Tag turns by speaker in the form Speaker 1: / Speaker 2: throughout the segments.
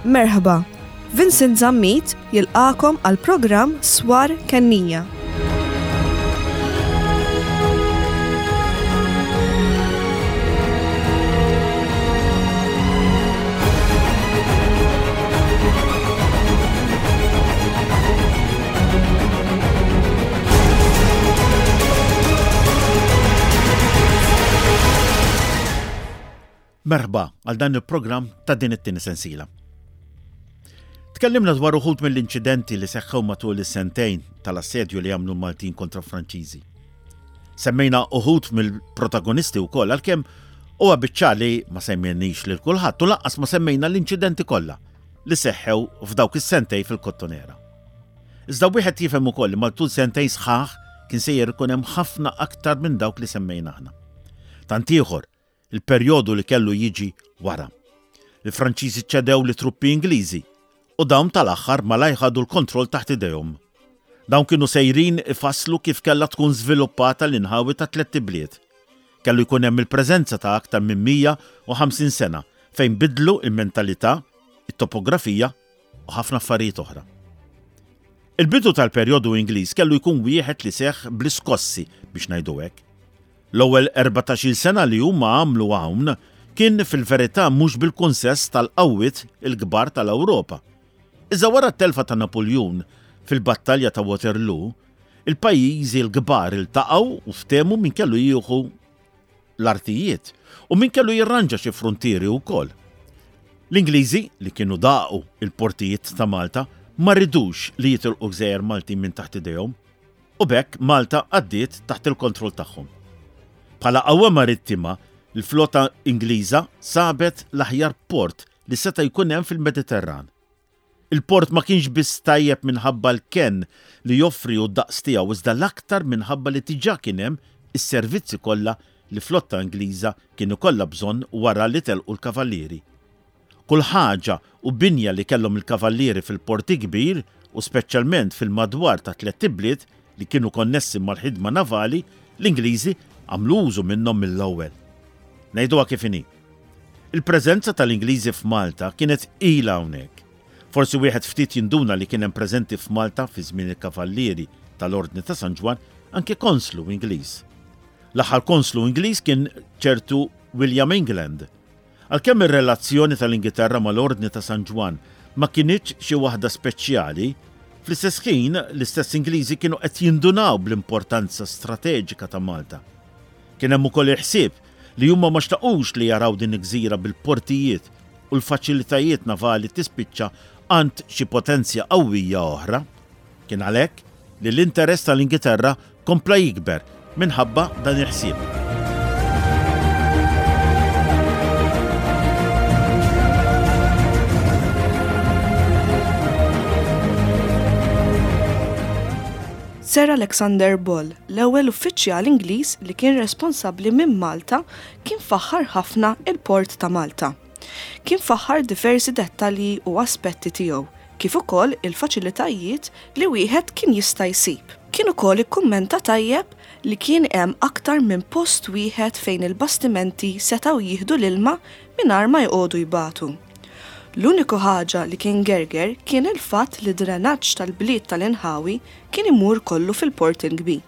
Speaker 1: Merħba, Vincent Zammit jilqagħkom għall-programm Swar Kennija.
Speaker 2: Merħba għal dan il-programm ta' din it-tieni sensiela. Tkellimna dwar uħud mill-inċidenti li seħħew matul is-sentejn tal-assedju li għamlu l-Maltin kontra Franċiżi. Semmejna uħud mill-protagonisti wkoll għalkemm huwa biċ-ċar li ma semmejniex lil kulħadd u lanqas ma semmejna l-inċidenti kollha li seħħew f'dawk is-sentejn fil-Kottonera. Iżda wieħed jifhem ukoll li matul sentejn sħaħ kien sejjer ikun hemm ħafna aktar minn dawk li semmejna aħna. Tant ieħor il-perjodu li kellu jiġi wara. Il-Franċiżi ċedew lit-truppi Ingliżi u dawn tal-aħħar malajr ħadu l-kontroll taħt idejhom. Dawn kienu sejrin ifasslu kif kellha tkun żviluppata l-inħawi tat-Tlett Ibliet. Kellu jkun hemm il-preżenza ta' aktar minn 150 sena fejn biddlu l-mentalità, it-topografija u ħafna affarijiet oħra. Il-bidu tal-perjodu Ingliż kellu jkun wieħed li seħħ bl-iskossi biex ngħidu hekk. L-ewwel erbatax-il sena li huma għamlu hawn kien fil-verità mhux bil-kunsess tal-qawwiet il-kbar tal-Ewropa. Iżda wara t-telfa ta' Napuljun fil-Battalja ta' Waterloo, il-pajjiżi l-kbar iltaqgħu u ftehmu min kellu jieħu l-artijiet u min kellu jirranġa xi fruntieri wkoll. L-Ingliżi, li kienu daqu il-portijiet ta' Malta, ma ridux li jitilqu gżejjer Maltin minn taħt idejhom u b'hekk Malta għaddiet taħt il-kontroll tagħhom. Bħala qawwa marittima, l-flota Ingliża sabet l-aħjar port li seta' jkun hemm fil-Mediterran. Il-port ma kienx biss tajjeb minħabba l-kenn li joffri u d-daqs tiegħu iżda l-aktar minħabba li diġà kien hemm is-servizzi kollha li flotta Ingliża kien ikollha bżonn wara li telqu l-Kavallieri. Kull ħaġa u binja li kellhom il-Kavallieri fil-Port il-Kbir u speċjalment fil-madwar tat-Tlett Ibliet li kienu konnessi mal-ħidma navali, l-Ingliżi għamlu użu minnhom mill-ewwel. Ngħiduha kif inhi. Il-preżenza tal-Ingliżi f'Malta kienet ilha hawnhekk. Forsi wieħed ftit jinduna li kien hemm preżenti f'Malta fi żmien il-Kavallieri tal-Ordni ta' San Ġwann anke konslu Ingliż. L-aħħar konslu Ingliż kien ċertu William England. Għalkemm ir-relazzjoni tal-Ingilterra mal-Ordni ta' San Ġwann ma kinitx xi waħda speċjali, fl-istess ħin l-istess Ingliżi kienu qed jindunaw bl-importanza strateġika ta' Malta. Kien hemm ukoll il-ħsieb li huma ma xtaqux li jaraw din il-gżira bil-portijiet u l-faċilitajiet navali tispiċċa għand xi potenzja qawwija oħra. Kien għalhekk li l-interess tal-Ingiterra kompla jikber minħabba dan il-ħsieb.
Speaker 1: Sir Alexander Ball, l-ewwel uffiċjal Ingliż li kien responsabbli minn Malta kien faħħar ħafna il-Port ta' Malta. Kien faħħar diversi dettalji u aspetti tiegħu, kif ukoll il-faċilitajiet li wieħed kien jista' jsib. Kien ukoll ikkummenta tajjeb li kien hemm aktar minn post wieħed fejn il-bastimenti setgħu jieħdu l-ilma mingħajr ma jqogħdu jbatu. L-uniku ħaġa li kien gerger kien il-fatt li d-drenaġġ tal-bliet tal-inħawi kien imur kollu fil-Port il-Kbir.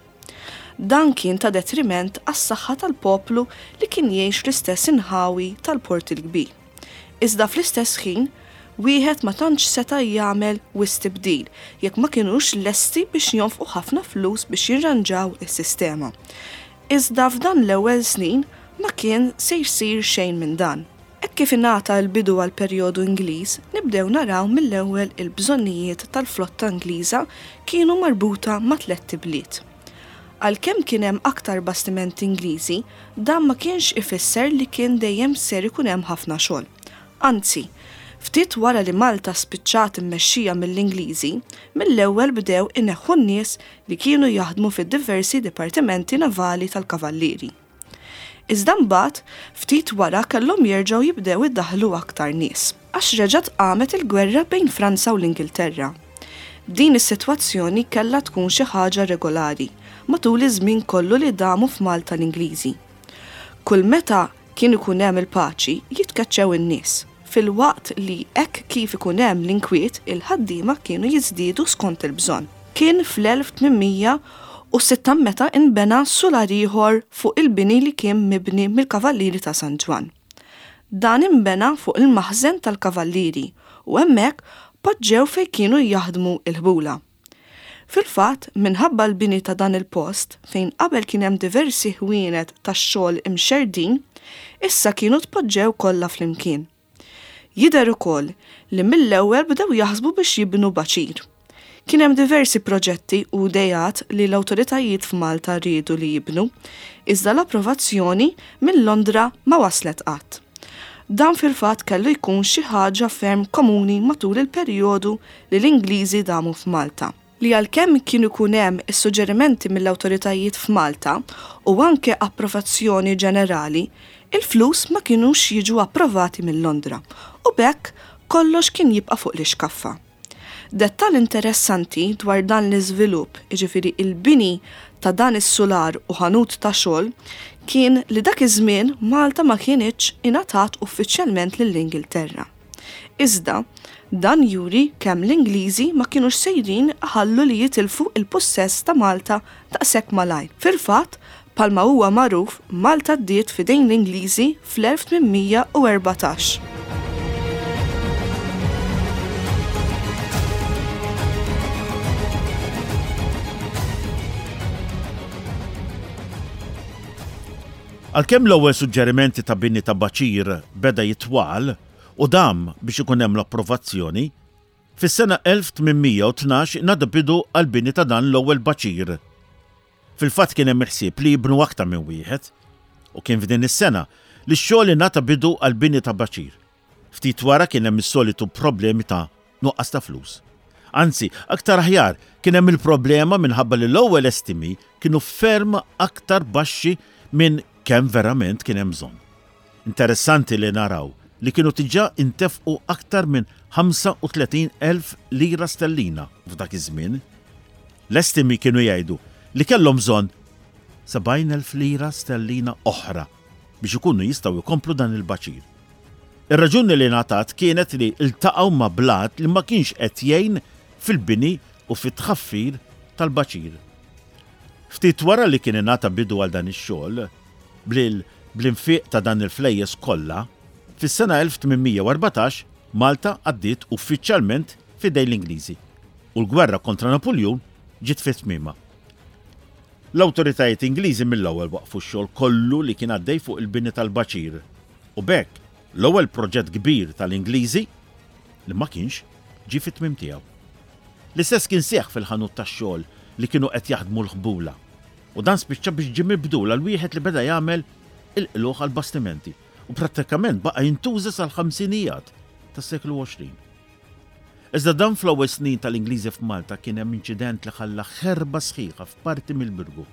Speaker 1: Dan kien ta' detriment għas-saħħa tal-poplu li kien jgħix fl-istess inħawi tal-Port il-Kbir. Iżda fl-istess ħin, wieħed ma tantx seta' jagħmel wisq tibdil jekk ma kinux lesti biex jonfqu ħafna flus biex jirranġaw is-sistema. Iżda f'dan l-ewwel snin ma kien se jsir xejn minn dan. Hekk kif ingħata l-bidu għall-perjodu Ingliż, nibdew naraw mill-ewwel il-bżonnijiet tal-flotta Ingliża kienu marbuta ma' tlett ibliet. Għalkemm kien hemm aktar bastimenti Ingliżi, dan ma kienx ifisser li kien dejjem ser ikun hemm ħafna xogħol. Anzi, ftit wara li Malta spiċċat immexxija mill-Ingliżi, mill-ewwel bdew ineħħu n-nies li kienu jaħdmu fid-diversi dipartimenti navali tal-Kavallieri. Iżda mbagħad, ftit wara kellhom jerġgħu jibdew idaħħlu aktar nies, għax reġgħet qamet il-gwerra bejn Franza u l-Ingilterra. Din is-sitwazzjoni kellha tkun xi ħaġa regolari matul iż-żmien kollu li damu f'Malta l-Ingliżi. Kull meta kien ikun hemm il-paċi jitkeċċew in-nies. filwaqt li hekk kif ikun hemm l-inkwiet il-ħaddiema kienu jiżdiedu skont il-bżonn. Kien fl-1806 meta inbena sular ieħor fuq il-bini li kien mibni mill-Kavallieri ta' San Ġwann. Dan inbena fuq il-maħżen tal-Kavallieri u hemmhekk poġġew fejn kienu jaħdmu l-ħbula. Fil-fatt, minħabba l-bini ta' dan il-post, fejn qabel kien hemm diversi ħwienet tax-xogħol imxerrdin, issa kienu tpoġġew kollha flimkien. Jidher ukoll li mill-ewwel bdew jaħsbu biex jibnu baċir. Kien hemm diversi proġetti u ideat li l-awtoritajiet f'Malta riedu li jibnu, iżda l-approvazzjoni minn Londra ma waslet qatt. Dan fil-fatt kellu jkun xi ħaġa ferm komuni matul il-perjodu li l-Ingliżi damu f'Malta. Li għalkemm kien ikun hemm is-suġġerimenti mill-awtoritajiet f'Malta u anke approvazzjoni ġenerali, il-flus ma kinux jiġu approvati minn Londra u b'hekk kollox kien jibqa' fuq l-ixkaffa. Dettall interessanti dwar dan l-iżvilupp, jiġifieri il-bini ta' dan is-sular u ħanut ta' xogħol, kien li dak iż-żmien Malta ma kinitx ingħatat uffiċjalment lill-Ingilterra. Iżda, dan juri kemm l-Ingliżi ma kinux sejrin iħallu li jitilfu l-pussess ta' Malta daqshekk malajr. Fil-fatt, Bħalma huwa magħruf, Malta għaddiet f'idejn l-Ingliżi fl-1814.
Speaker 2: Għalkemm l-ewwel suġġerimenti ta' bini ta' baċir beda jitwal u dam biex ikun hemm l-approvazzjoni, fis-sena 1812 ingħata bidu għall-bini ta' dan l-ewwel baċir. Fil-fatt kien hemm il-ħsieb li jibnu aktar minn wieħed, u kien f'din is-sena li x-xogħol ingħata bidu għall-bini ta' baċir. Ftit wara kien hemm is-solitu problemi ta' nuqqas ta' flus. Anzi, aktar aħjar, kien hemm il-problema minħabba li l-ewwel estimi kienu ferm aktar baxxi minn kemm verament kien hemm bżonn. Interessanti li naraw li kienu diġà intefqu aktar minn 35,000 lira stellina f'dak iż-żmien. L-estimi kienu jgħidu li kellhom bżonn 70,000 lira sterlina oħra biex ikunu jistgħu jkomplu dan il-baċir. Ir-raġuni li ngħatat kienet li ltaqgħu ma' blat li ma kienx qed jgħin fil-bini u fit-tħaffir tal-baċir. Ftit wara li kien ingħata bidu għal dan ix-xogħol, bl-infiq ta' dan il-flejjes kollha, fis-sena 1814 Malta għaddiet uffiċjalment f'idejn l-Ingliżi u l-gwerra kontra Napuljun ġiet fi tmiemha. L-awtoritajiet Ingliżi mill-ewwel waqqfu x-xogħol kollu li kien għaddej fuq il-bini tal-baċir u b'hekk l-ewwel proġett kbir tal-Ingliżi li ma kienx ġie fit-tmiem tiegħu. L-istess kien seħħ fil-ħanut tax-xogħol li kienu qed jaħdmu l-ħbula u dan spiċċa biex ġie mibdul għal wieħed li beda jagħmel il-qlugħ għall-bastimenti u prattikament baqa' jintuża sal-ħamsinijat tas-seklu 20. Iżda dan fl-ewwel snin tal-Ingliżi f'Malta kien hemm inċident li ħalla ħerba sħiħa f'parti mill-Birgu,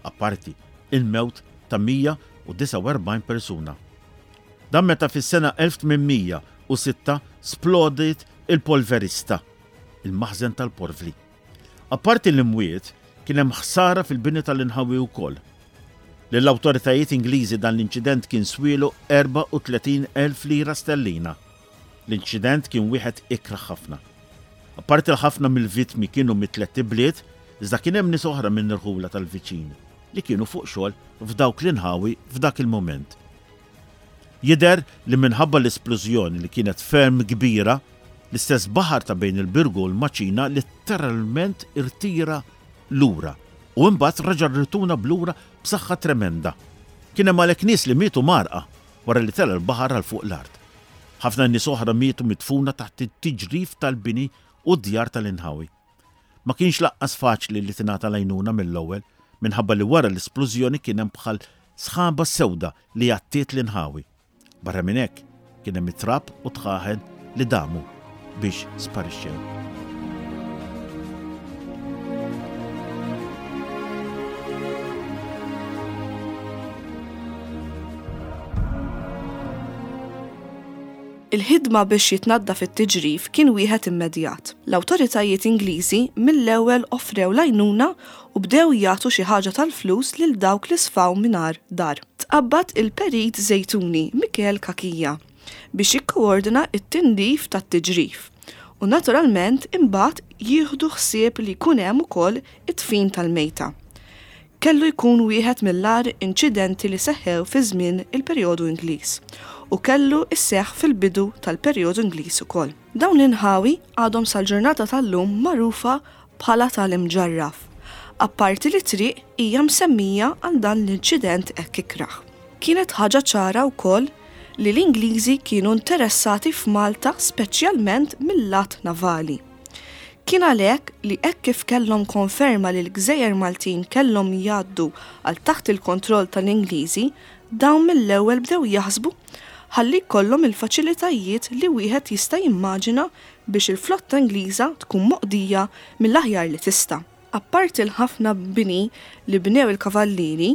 Speaker 2: apparti il-mewt ta' 149 persuna. Dan meta fis-sena 1806 splodiet il-polverista, il-maħżen tal-porvli. Apparti l-imwiet, kien hemm ħsara fil-bini tal-inħawi wkoll. Lill-awtoritajiet Ingliżi dan l-inċident kien swielu 34,000 lira sterlina. L-inċident kien wieħed ikrah ħafna. Apparti li ħafna mill-vittmi kienu mit-tlett ibliet, iżda kien hemm nies oħra minn irħula tal-viċin li kienu fuq xogħol f'dawk l-inħawi f'dak il-mument. Jidher li minħabba l-isplużjoni li kienet ferm kbira, l-istess baħar ta' bejn il-Birgu u l-Maċina litteralment irtira lura u imbagħad reġa' rrituna b'lura b'saħħa tremenda. Kien hemm għalhekk nies li mietu mgħarrqa wara li tela' l-baħar għal fuq l-art. Ħafna nies oħra mietu midfuna taħt it-tiġrif tal-bini u d-djar tal-inħawi. Ma kienx lanqas faċli li tingħata l-għajnuna mill-ewwel minħabba li wara l-isplużjoni kien hemm bħal sħaba sewda li għattiet l-inħawi. Barra minn hekk, kien hemm it-trab u dħaħen li damu biex sparixxew.
Speaker 1: Il-ħidma biex jitnaddaf it-tiġrif kien wieħed immedjat. L-awtoritajiet Ingliżi mill-ewwel offrew l-għajnuna u bdew jagħtu xi ħaġa tal-flus lil dawk li sfaw mingħajr dar. Tqabbad il-Perit Żejtuni, Mikiel Cachia. biex jikkoordina t-tindif tat-tiġrif u naturalment imbagħad jieħdu ħsieb li jkun hemm ukoll id-dfin tal-mejta. Kellu jkun wieħed mill-agħar inċidenti li seħħew fi żmien il-perjodu Ingliż u kellu sseħħ fil-bidu tal-perjodu Ingliż ukoll. Dawn l-inħawi għadhom sal-ġurnata tal-lum magħrufa bħala tal-Imġarraf, apparti li triq hija msemmija għal dan l-inċident hekk ikrah. Kienet ħaġa ċara wkoll li l-Ingliżi kienu interessati f'Malta speċjalment mil-lat navali. Kien għalhekk li hekk kif kellhom konferma li l-gżejjer Maltin kellhom jgħaddu għal taħt il-kontroll tal-Ingliżi, dawn mill-ewwel bdew jaħsbu ħalli jkollhom il-faċilitajiet li wieħed jista' jimmaġina biex il-flotta Ingliża tkun moqdija mill-aħjar li tista'. Apparti l-ħafna bini li bnew il-Kavallieri,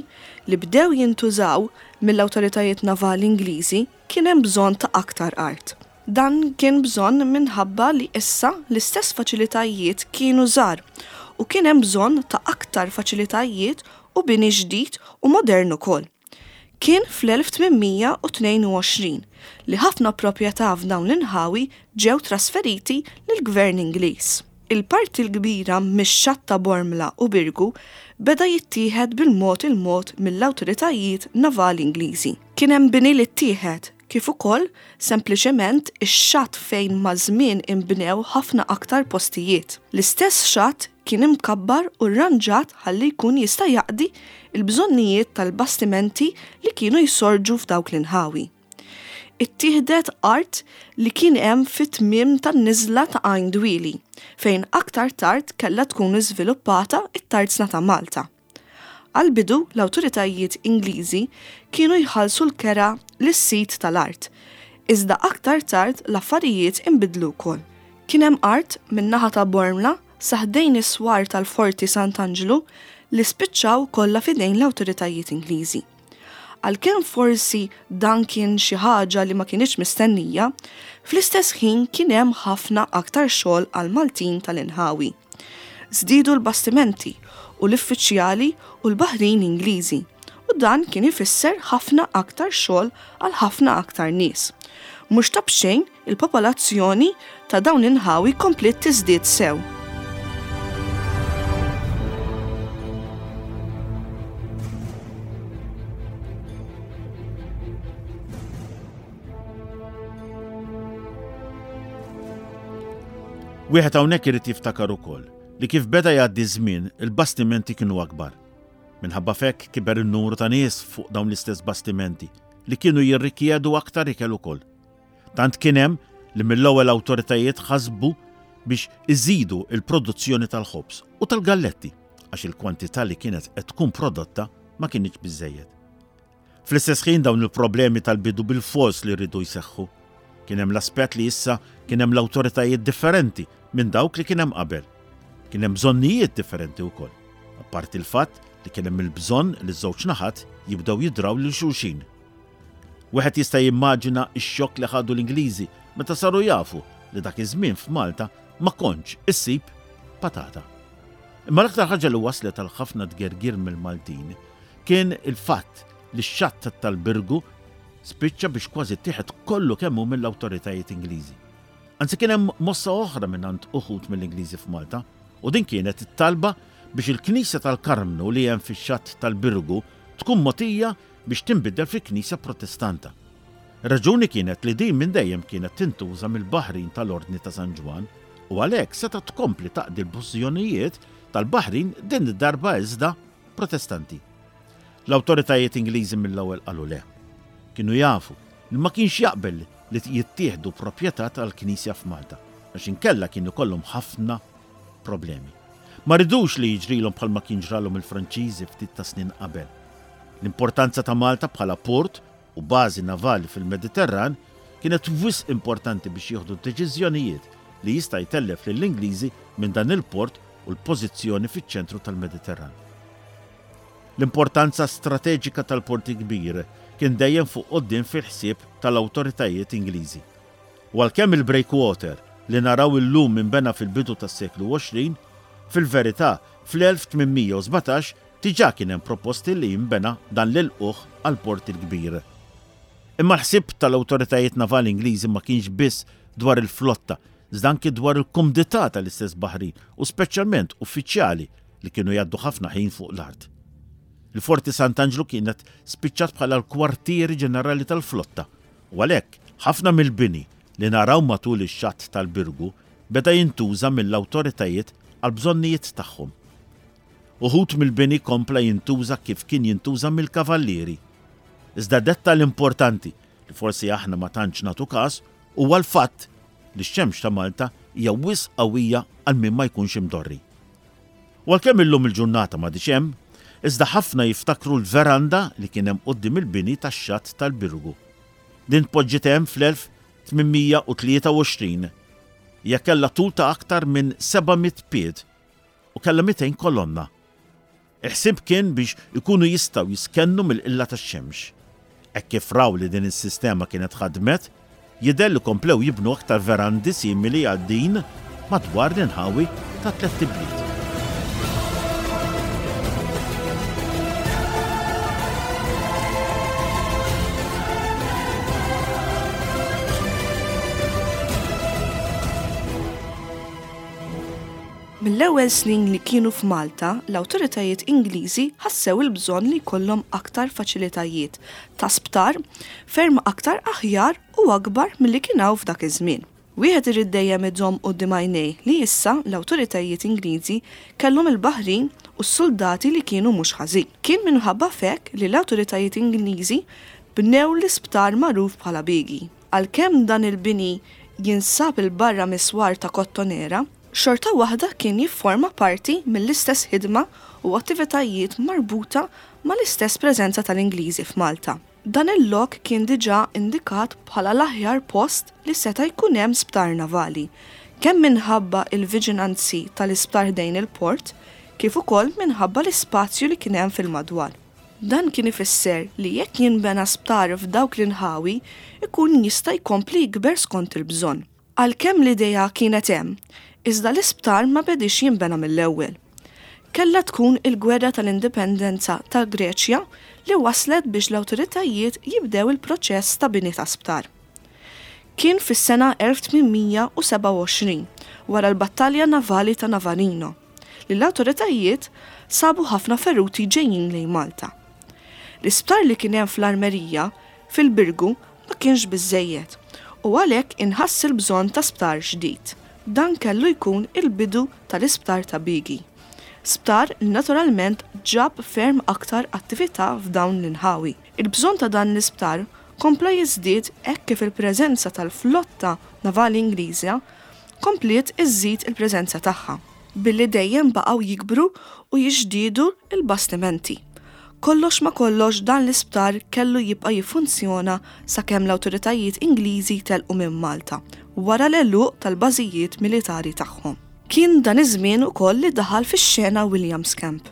Speaker 1: li bdew jintużaw mill-awtoritajiet navali Ingliżi, kien hemm bżonn ta' aktar art. Dan kien bżonn minħabba li issa l-istess faċilitajiet kienu żgħar u kien hemm bżonn ta' aktar faċilitajiet u bini ġdid u modern ukoll. Kien fl-1822 li ħafna proprjetà f'dawn l-inħawi ġew trasferiti lill-Gvern Ingliż. Il-parti l-kbira mix-xatt ta' Bormla u Birgu beda jittieħed bil-mod il-mod mill-awtoritajiet navali Ingliżi. Kien hemm bini li ttieħed, kif ukoll sempliċement ix-xatt fejn maż-żmien inbnew ħafna aktar postijiet. L-istess xatt kien imkabbar u rranġat ħalli jkun jista' jaqdi l-bżonnijiet tal-bastimenti li kienu jsorġu f'dawk l-inħawi. Ittieħdet art li kien hemm fit-tmiem tan-niżla ta' Għajn Dwieli, fejn aktar tard kellha tkun iżviluppata t-Tarzna ta' Malta. Għall-bidu l-awtoritajiet Ingliżi kienu jħallsu l-kera lis-sid tal-art, iżda aktar tard l-affarijiet inbidlu wkoll. Kien hemm art min-naħa ta' Bormla sa ħdejn is-swar tal-Forti Sant'Anġlu li spiċċaw kollha f'idejn l-awtoritajiet Ingliżi. Għalkemm forsi dan kien xi ħaġa li ma kinitx mistennija, fl-istess ħin kien hemm ħafna aktar xogħol għall-Maltin tal-inħawi. Żdiedu l-bastimenti u l-iffiċjali u l-baħrin Ingliżi, u dan kien ifisser ħafna aktar xogħol għal ħafna aktar nies. Mhux ta' b'xejn il-popolazzjoni ta' dawn l-inħawi kompliet tiżdied sew.
Speaker 2: Wieħed hawnhekk irid jiftakar ukoll li kif beda jgħaddi ż-żmien il-bastimenti kienu akbar. Minħabba f'hekk kiber in-numru ta' nies fuq dawn l-istess bastimenti li kienu jirrikjedu aktar ikel ukoll. Tant kien hemm li mill-ewwel awtoritajiet ħasbu biex iżidu l-produzzjoni tal-ħobż u tal-galletti għax il-kwantità li kienet qed tkun prodotta ma kinitx biżżejjed. Fl-istess ħin dawn il-problemi tal-bidu bilfors li riedu jseħħu. Kien hemm l-aspett li issa kien hemm l-awtoritajiet differenti minn dawk li kien hemm qabel. Kien hemm bżonnijiet differenti wkoll. Apparti l-fatt li kien hemm il-bżonn li ż-żewġ naħat jibdew jidraw lil xulxin. Wieħed jista' jimmaġina x-xokk li ħadu l-Ingliżi meta saru jafu li dak iż-żmien f'Malta ma kontx issib patata. Imma l-aktar ħaġa li wasslet għal ħafna tgergir mill-Maltin kien il-fatt li x-xatt tal-Birgu spiċċa biex kważi ttieħed kollu kemm hu mill-awtoritajiet Ingliżi. Anzi kien hemm mossa oħra mingħand uħud mill-Ingliżi f'Malta u din kienet it-talba biex il-knisja tal-Karmnu li hemm fix-xatt tal-Birgu tkun mogħtija biex tinbidel fi knisja Protestanta. Ir-raġuni kienet li din minn dejjem kienet tintuża mill-baħrin tal-Ordni ta' San Ġwann u għalhekk setgħet tkompli taqdi l-bżonnijiet tal-baħrin din id-darba iżda Protestanti. L-awtoritajiet Ingliżi mill-ewwel qalu le. Kienu jafu li ma kienx jaqbel li jittieħdu proprjetà tal-Knisja f'Malta, għax inkella kien ikollhom ħafna problemi. Ma ridux li jiġrilhom bħalma kien ġralhom il-Franċiżi ftit ta' snin qabel. L-importanza ta' Malta bħala port u bażi navali fil-Mediterran kienet wisq importanti biex jieħdu deċiżjonijiet li jista' jtellef lill-Ingliżi minn dan il-port u l-pożizzjoni fiċ-ċentru tal-Mediterran. L-importanza strateġika tal-Port il-Kbir kien dejjem fuq quddiem fil-ħsieb tal-awtoritajiet Ingliżi. U għalkemm il-breakwater li naraw illum inbena fil-bidu tas-seklu 20, fil-verità fl-1817 diġà kien hemm proposti li jinbena dan l-ilqugħ għall-Port il-Kbir. Imma l-ħsieb tal-awtoritajiet navali Ingliżi ma kienx biss dwar il-flotta, iżda anki dwar il-kumdità tal-istess baħrin u speċjalment uffiċjali li kienu jgħaddu ħafna ħin fuq l-art. Il-Forti Sant'Anġlu kienet spiċċat bħala l-kwartieri ġenerali tal-flotta u għalhekk ħafna mill-bini li naraw matul ix-xatt tal-Birgu beda jintuża mill-awtoritajiet għall-bżonnijiet tagħhom. Uħud mill-bini kompla jintuża kif kien jintuża mill-Kavallieri. Iżda dettall importanti li forsi aħna ma tantx nagħtu każ huwa l-fatt li x-xemx ta' Malta hija wisq qawwija għal min ma jkunx imdorri. U għalkemm illum il-ġurnata m'għadhiex hemm, iżda ħafna jiftakru l-veranda li kien hemm quddiem il-bini tax-xatt tal-Birgu. Din tpoġġiet hemm fl-1823. Hija kellha tul ta' aktar minn 700 pied u kellha 200 kolonna. Il-ħsieb kien biex ikunu jistgħu jistkennu mill-qilla tax-xemx. Hekk kif raw li din is-sistema kienet ħadmet, jidher li komplew jibnu aktar verandi simili għal din madwar l-inħawi tat-Tlett Ibliet.
Speaker 1: Mill-ewwel snin li kienu f'Malta, l-awtoritajiet Ingliżi ħassew il-bżonn li jkollhom aktar faċilitajiet ta' sptar ferm aktar aħjar u akbar milli kien hawn f'dak iż-żmien. Wieħed irid dejjem iżomm quddiem għajnejh li issa l-awtoritajiet Ingliżi kellhom il-baħrin u s-suldati li kienu mhux ħażin. Kien minħabba f'hekk li l-awtoritajiet Ingliżi bnew l-isptar magħruf bħala Bighi. Għalkemm dan il-bini jinsab 'il barra mis-swar ta' Kottonera, xorta waħda kien jifforma parti mill-istess ħidma u attivitajiet marbuta mal-istess preżenza tal-Ingliżi f'Malta. Dan il-lok kien diġà indikat bħala l-aħjar post li seta' jkun hemm sptar navali, kemm minħabba l-viġinanzi tal-isptar ħdejn il-port, kif ukoll minħabba l-ispazju li kien hemm fil-madwar. Dan kien ifisser li jekk jinbena sptar f'dawk l-inħawi jkun jista' jkompli jikber skont il-bżonn. Għalkemm l-idea kienet hemm, iżda l-isptar ma bediex jinbena mill-ewwel. Kellha tkun il-Gwerra tal-Indipendenza tal-Greċja li wasslet biex l-awtoritajiet jibdew il-proċess ta' bini ta' sptar. Kien fis-sena 1827, wara l-battalja navali ta' Navarino, li l-awtoritajiet sabu ħafna feruti ġejjin lejn Malta. L-isptar li kien hemm fl-Armerija, fil-Birgu, ma kienx biżżejjed u għalhekk inħass il-bżonn ta' sptar ġdid. Dan kellu jkun il-bidu tal-Isptar ta' Bigi. Sptar li naturalment ġab ferm aktar attività f'dawn l-inħawi. Il-bżonn ta' dan l-isptar kompla jiżdied hekk kif il-preżenza tal-flotta navali Ingliża kompliet iżżid il-preżenza tagħha. Billi dejjem baqgħu jikbru u jiġdiedu l-bastimenti. Kollox ma' kollox dan l-isptar kellu jibqa' jiffunzjona sakemm l-awtoritajiet Ingliżi telqu minn Malta wara l-għeluq tal-bażijiet militari tagħhom. Kien dan iż-żmien ukoll li daħal fix-xena William Scamp.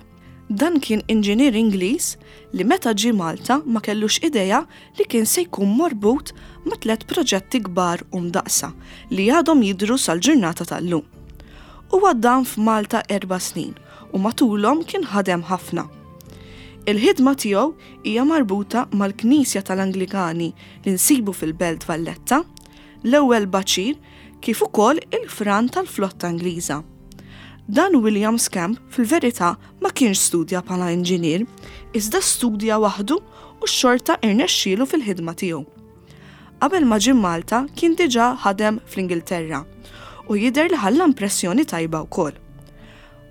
Speaker 1: Dan kien inġinier Ingliż li meta ġie Malta ma kellux idea li kien se jkun marbut ma' tlett proġetti kbar u mdaqqsa li għadhom jidhru sal-ġurnata tal-lum. Huwa dam f'Malta erba' snin u matulhom kien ħadem ħafna. Il-ħidma tiegħu hija marbuta mal-Knisja tal-Anglikani li nsibu fil-Belt Valletta, l-ewwel baċir kif ukoll il-fran tal-flotta Ingliża. Dan William Scamp fil-verità ma kienx studja bħala inġinier, iżda studja waħdu u xorta irnexxielu fil-ħidma tiegħu. Qabel ma ġie Malta kien diġà ħadem fl-Ingilterra u jidher li ħalla impressjoni tajba wkoll.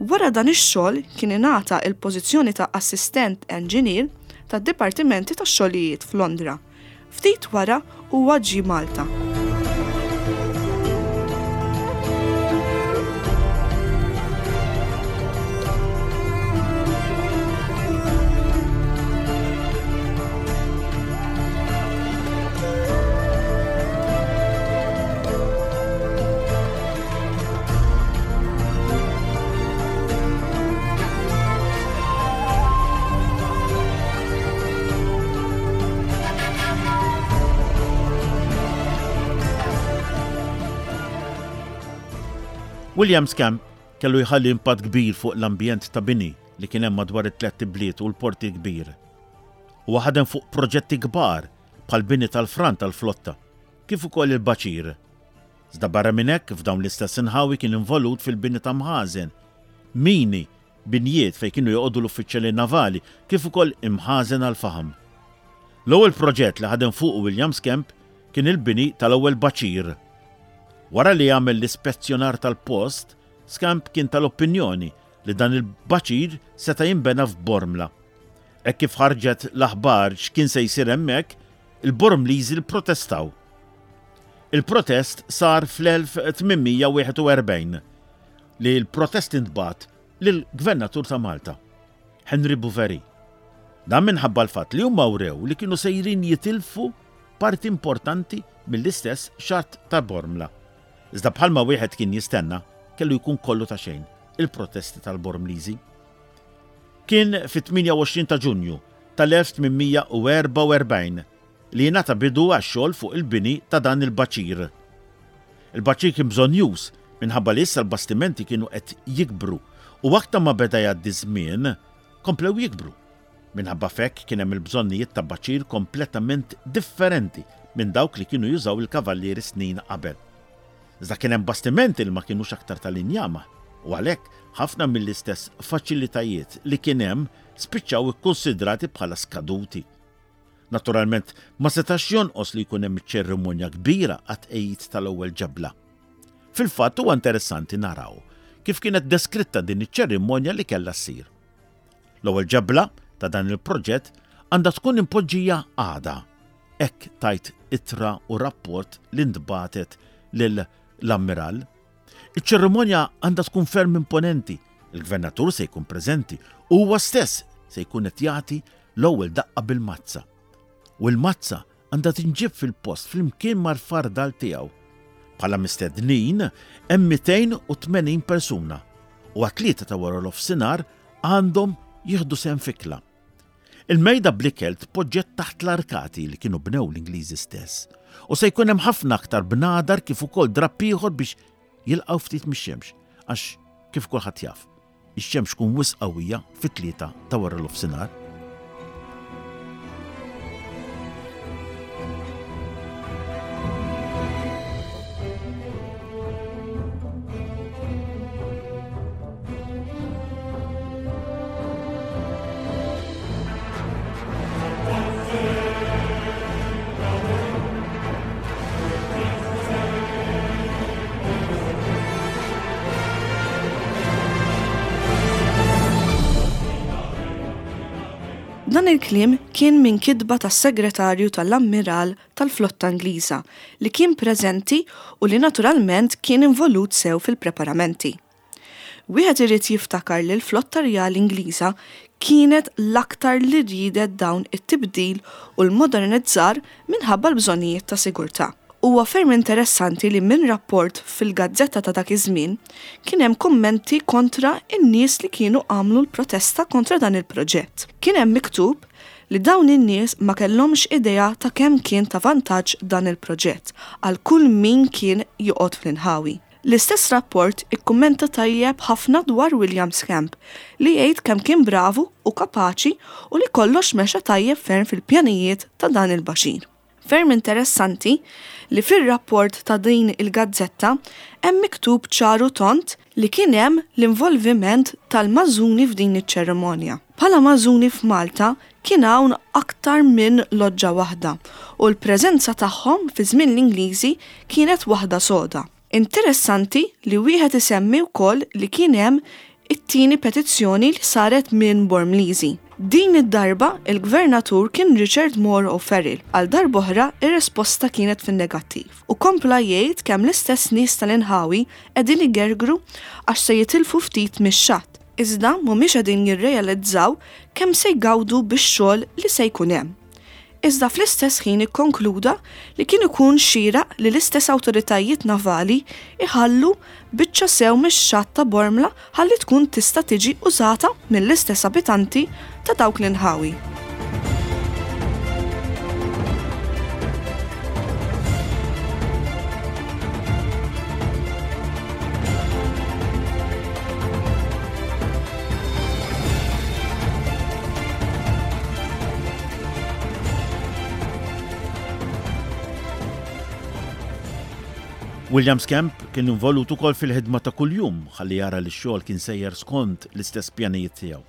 Speaker 1: Wara dan ix-xogħol kien ingħata l-pożizzjoni ta' assistent enġinier tad-Dipartimenti tax-Xogħlijiet f'Londra. Ftit wara huwa ġie Malta.
Speaker 2: William Scamp kellu jħalli impatt kbir fuq l-ambjent ta' bini li kien hemm madwar it-tlett ibliet u l-Port il-Kbir. Huwa ħadem fuq proġetti kbar. bħall-bini tal-fran tal-flotta, kif ukoll il-baċir. Iżda barra minn hekk f'dawn l-istess inħawi kien involut fil-bini ta' mħażen, mini, binjiet fejn kienu joqogħdu l-uffiċjali navali kif ukoll imħażen għall-faħam. L-ewwel proġett li ħadem fuqu William Skemp kien il-bini tal-ewwel baċir. Wara li għamel l-ispezzjonar tal-post, Skemp kien tal-opinjoni li dan il-baċir seta' jinbena f'Bormla. Hekk kif ħarġet l-aħbar x'kien se jsir hemmhekk, il-Bormliżi pprotestaw. Il-protest sar fl-1841 li l-protest intbagħat lill-Gvernatur ta' Malta, Henry Bouverie. Dan minħabba l-fatt li huma wrew li kienu sejrin jitilfu parti importanti mill-istess xatt ta' Bormla. Iżda bħalma wieħed kien jistenna, kellu jkun kollu ta' xejn il-protesti tal-Bormliżi. Kien fit-28 ta' Ġunju tal-1844 li jingħata bidu għax-xogħol fuq il-bini ta' dan il-baċir. Il-baċir kien bżonnjuż minħabba li issa l-bastimenti kienu qed jikbru u aktar ma beda jgħaddi ż-żmien, komplew jikbru. Minħabba f'hekk kien hemm il-bżonnijiet ta' baċir kompletament differenti minn dawk li kienu jużaw il-kavallieri snin qabel. Iżda kien hemm bastimenti li ma kinux aktar tal-injama u għalhekk ħafna mill-istess faċilitajiet li kien hemm spiċċaw ikkunsidrati bħala skaduti. Naturalment, ma setax jonqos li jkun hemm ċerimonja kbira għat-tqegħid tal-ewwel ġebla. Fil-fatt huwa interessanti naraw kif kienet deskritta din iċ-ċerimonja li kellha ssir. L-ewwel ġebla ta' dan il-proġett għandha tkun impoġġija għada. Hekk tgħid ittra u rapport li ntbagħtet lil l-Ammiral. Iċ-ċerimonja għandha tkun ferm imponenti. Il-Gvernatur se jkun preżenti u huwa stess se jkun qed jagħti l-ewwel daqqa bil-mazza. U l-mazza għandha tinġieb fil-post flimkien mal-fardal tiegħu. Bħala mistednin hemm 280 persuna u għat-tlieta ta' wara nofsinhar għandhom jieħdu sehem f'ikla. Il-mejda bl-ikel tpoġġiet taħt l-arkati li kienu bnew l-Ingliżi stess u se jkun hemm ħafna aktar bnadar kif ukoll drapp ieħor biex jilqgħu ftit mix-xemx għax kif kulħadd jaf, Ix-xemx tkun wisq qawwija fit-tlieta ta' waranofsinhar.
Speaker 1: Dan il-kliem kien minn kitba tas-Segretarju tal-Ammiral tal-Flotta Ingliża li kien preżenti u li naturalment kien involut sew fil-preparamenti. Wieħed irid jiftakar li l-Flotta Rjali Ingliża kienet l-aktar li riedet dawn it-tibdil u l-modernizzar minħabba l-bżonnijiet ta' sigurtà. Huwa ferm interessanti li minn rapport fil-gazzetta ta' dak iż-żmien kien hemm kummenti kontra n-nies li kienu għamlu l-protesta kontra dan il-proġett. Kien hemm miktub li dawn in-nies ma kellhomx idea ta' kemm kien ta' vantaġġ dan il-proġett għal kull min kien joqgħod fl-inħawi. L-istess rapport ikkummenta tajjeb ħafna dwar William Scamp li jgħid kemm kien bravu u kapaċi u li kollox mexa tajjeb ferm fil-pjanijiet ta' dan il-baxir. Ferm interessanti li fir-rapport ta' din il-gazzetta hemm miktub ċar u tond li kien hemm l-involviment tal-Mażuni f'din iċ-ċerimonja. Bħala Mażuni f'Malta kien hawn aktar minn loġġa waħda u l-preżenza tagħhom fi żmien l-Ingliżi kienet waħda soda. Interessanti li wieħed isemmi wkoll li kien hemm it-tieni petizzjoni li saret minn Bormliżi. Din id-darba il-Gvernatur kien Richard Moore O'Farrell. Għal darb'oħra ir-risposta kienet fin-negattiv u kompla jgħid kemm l-istess nies tal-inħawi qegħdin igergru għax se jitilfu ftit mix-xatt, iżda mhumiex qegħdin jirrealizzaw kemm se jgawdu bix-xogħol li se jkun hemm. Iżda fl-istess ħin ikkonkluda li kien ikun xieraq li l-istess awtoritajiet navali jħallu biċċa sew mix-xatt ta' Bormla ħalli tkun tista' tiġi użata mill-istess abitanti ta' dawk l-inħawi.
Speaker 2: William Skemp kien involut ukoll fil-ħidma ta' kuljum ħalli jara li x-xogħol kien sejjer skont l-istess pjanijiet tiegħu.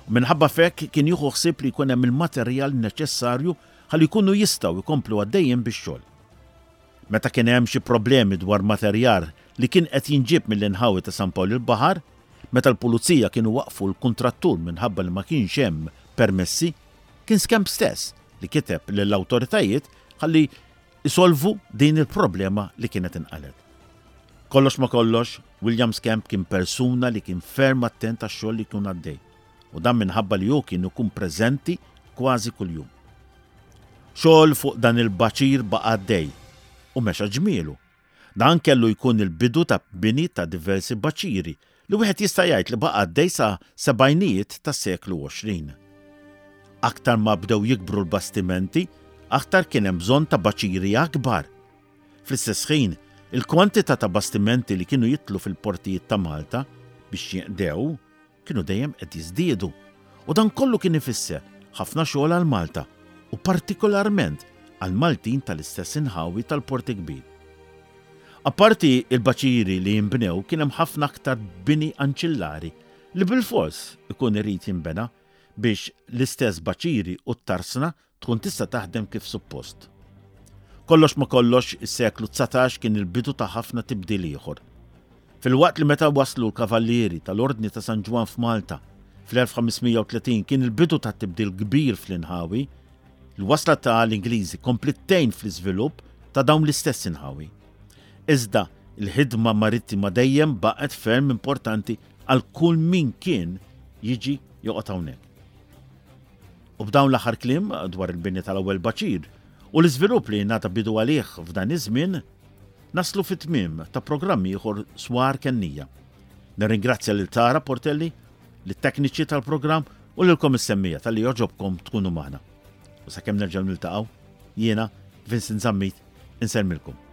Speaker 2: U minħabba f'hekk kien jieħu ħsieb li jkun hemm il-materjal neċessarju ħalli jkunu jistgħu jkomplu għaddejjin bix-xogħol. Meta kien hemm xi problemi dwar materjar li kien qed jinġieb mill-inħawi ta' San Pawl il-Baħar, meta l-pulizija kienu waqqfu l-kuntrattur minħabba li ma kienx hemm permessi, kien Skemp stess li kiteb lill-awtoritajiet ħalli jsolvu din il-problema li kienet inqalgħet. Kollox ma' kollox, William Skemp kien persuna li kien ferm attent għax-xogħol li jkun għaddej, u dan minħabba li hu kien ikun preżenti kważi kuljum. Xogħol fuq dan il-baċir baqa' għaddej u mexa ġmielu. Dan kellu jkun il-bidu ta' bini ta' diversi baċiri li wieħed jista' jgħid li baqa' għaddej sa sebgħinijiet tas-seklu 20. Aktar ma bdew jikbru l-bastimenti, aktar kien hemm bżonn ta' baċiri akbar. Fl-istess ħin, il-kwantità ta' bastimenti li kienu jidħlu fil-portijiet ta' Malta biex jinqdew kienu dejjem qed jiżdiedu u dan kollu kien ifisser ħafna xogħol għal Malta u partikolarment għall-Maltin tal-istess inħawi tal-Port il-Kbir. Apparti l-baċiri li jinbnew kien hemm ħafna aktar bini anċillari li bilfors ikun irid jinbena biex l-istess baċiri u t-tarsna tkun tista' taħdem kif suppost. Kollox ma' kollox, is-seklu 19 kien il-bidu ta' ħafna tibdil ieħor. Filwaqt li meta waslu l-Kavallieri tal-Ordni ta' San Ġwann f'Malta fl-1530 kien il-bidu ta' tibdil kbir fl-inħawi, il-wasla ta' l-Ingliżi kompliet tgħin fl-iżvilupp ta' dawn l-istess inħawi. Iżda, il-ħidma marittima dejjem baqgħet ferm importanti għal kull min kien jiġi joqgħod hawnhekk. U b'dawn l-aħħar kliem dwar il-bini tal-ewwel baċir u l-iżvilupp li ngħata bidu għalih f'dan iż-żmien, naslu fit-tmiem ta' programm ieħor Swar Kennija. Nirringrazzja lil Tara Portelli, lit-tekniċi tal-programm u lilkom is-semmija talli jogħġobkom tkunu magħna. U sakemm nerġgħu niltaqgħu, jiena Vincent Zammit insellmilkom.